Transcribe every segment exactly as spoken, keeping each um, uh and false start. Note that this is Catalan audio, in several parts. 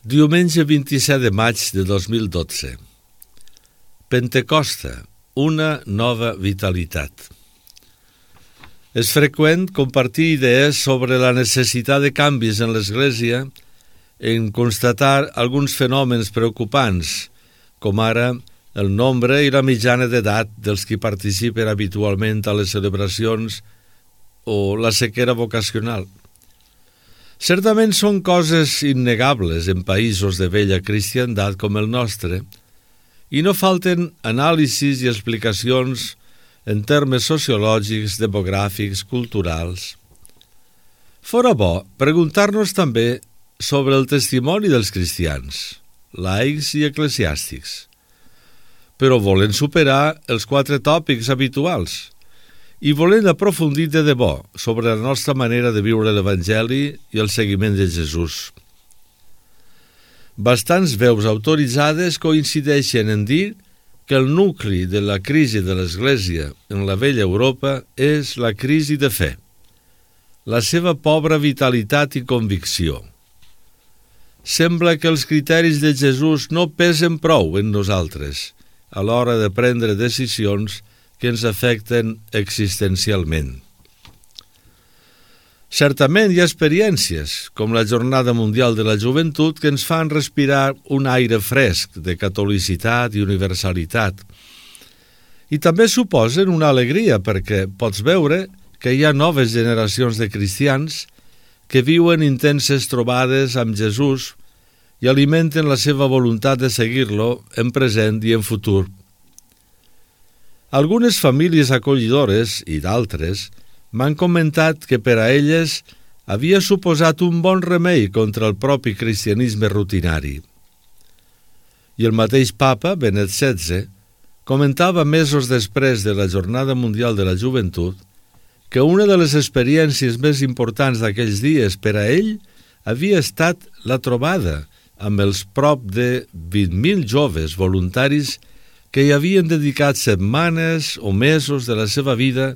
Diumenge vint-i-set de maig de dos mil dotze. Pentecosta, una nova vitalitat. És freqüent compartir idees sobre la necessitat de canvis en l'Església en constatar alguns fenòmens preocupants, com ara el nombre i la mitjana d'edat dels qui participen habitualment a les celebracions o la sequera vocacional. Certament són coses innegables en països de vella cristiandat com el nostre, i no falten anàlisis i explicacions en termes sociològics, demogràfics, culturals. Fora bo preguntar-nos també sobre el testimoni dels cristians, laics i eclesiàstics, però volen superar els quatre tòpics habituals i volen aprofundir de debò sobre la nostra manera de viure l'Evangeli i el seguiment de Jesús. Bastants veus autoritzades coincideixen en dir que el nucli de la crisi de l'Església en la vella Europa és la crisi de fe, la seva pobra vitalitat i convicció. Sembla que els criteris de Jesús no pesen prou en nosaltres a l'hora de prendre decisions que ens afecten existencialment. Certament hi ha experiències, com la Jornada Mundial de la Joventut, que ens fan respirar un aire fresc de catolicitat i universalitat. I també suposen una alegria perquè pots veure que hi ha noves generacions de cristians que viuen intenses trobades amb Jesús i alimenten la seva voluntat de seguir-lo en present i en futur. Algunes famílies acollidores i d'altres m'han comentat que per a elles havia suposat un bon remei contra el propi cristianisme rutinari. I el mateix papa, Benet setze, comentava mesos després de la Jornada Mundial de la Joventut que una de les experiències més importants d'aquells dies per a ell havia estat la trobada amb els prop de vint mil joves voluntaris que hi havien dedicat setmanes o mesos de la seva vida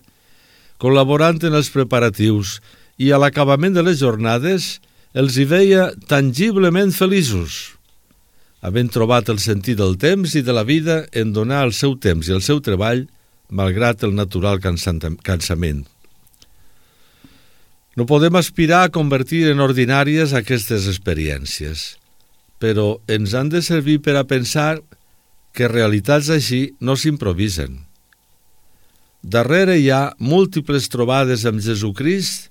col·laborant en els preparatius i a l'acabament de les jornades els hi veia tangiblement feliços, havent trobat el sentit del temps i de la vida en donar el seu temps i el seu treball malgrat el natural cansament. No podem aspirar a convertir en ordinàries aquestes experiències, però ens han de servir per a pensar que realitats així no s'improvisen. Darrere hi ha múltiples trobades amb Jesucrist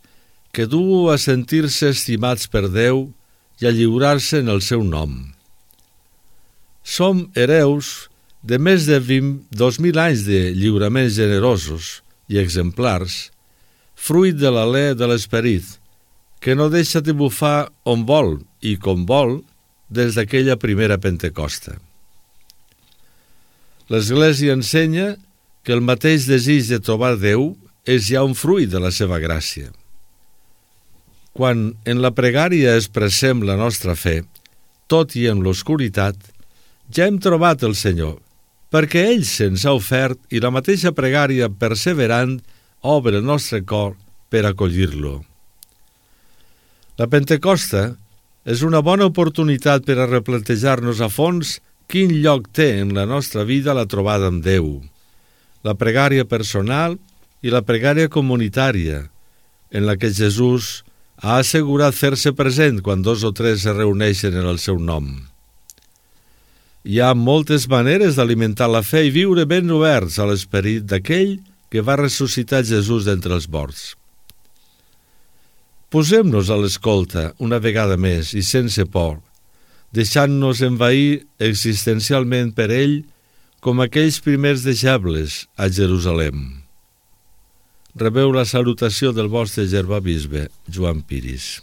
que duu a sentir-se estimats per Déu i a lliurar-se en el seu nom. Som hereus de més de dos mil anys de lliuraments generosos i exemplars, fruit de l'alè de l'esperit, que no deixa de bufar on vol i com vol des d'aquella primera Pentecosta. L'Església ensenya que el mateix desig de trobar Déu és ja un fruit de la seva gràcia. Quan en la pregària expressem la nostra fe, tot i en l'oscuritat, ja hem trobat el Senyor, perquè ell se'ns ha ofert i la mateixa pregària perseverant obre el nostre cor per acollir-lo. La Pentecosta és una bona oportunitat per a replantejar-nos a fons quin lloc té en la nostra vida la trobada amb Déu, la pregària personal i la pregària comunitària, en la que Jesús ha assegurat fer-se present quan dos o tres es reuneixen en el seu nom. Hi ha moltes maneres d'alimentar la fe i viure ben oberts a l'esperit d'aquell que va ressuscitar Jesús d'entre els morts. Posem-nos a l'escolta una vegada més i sense por, deixant-nos envair existencialment per ell com aquells primers deixebles a Jerusalem. Rebeu la salutació del vostre germà bisbe, Joan Piris.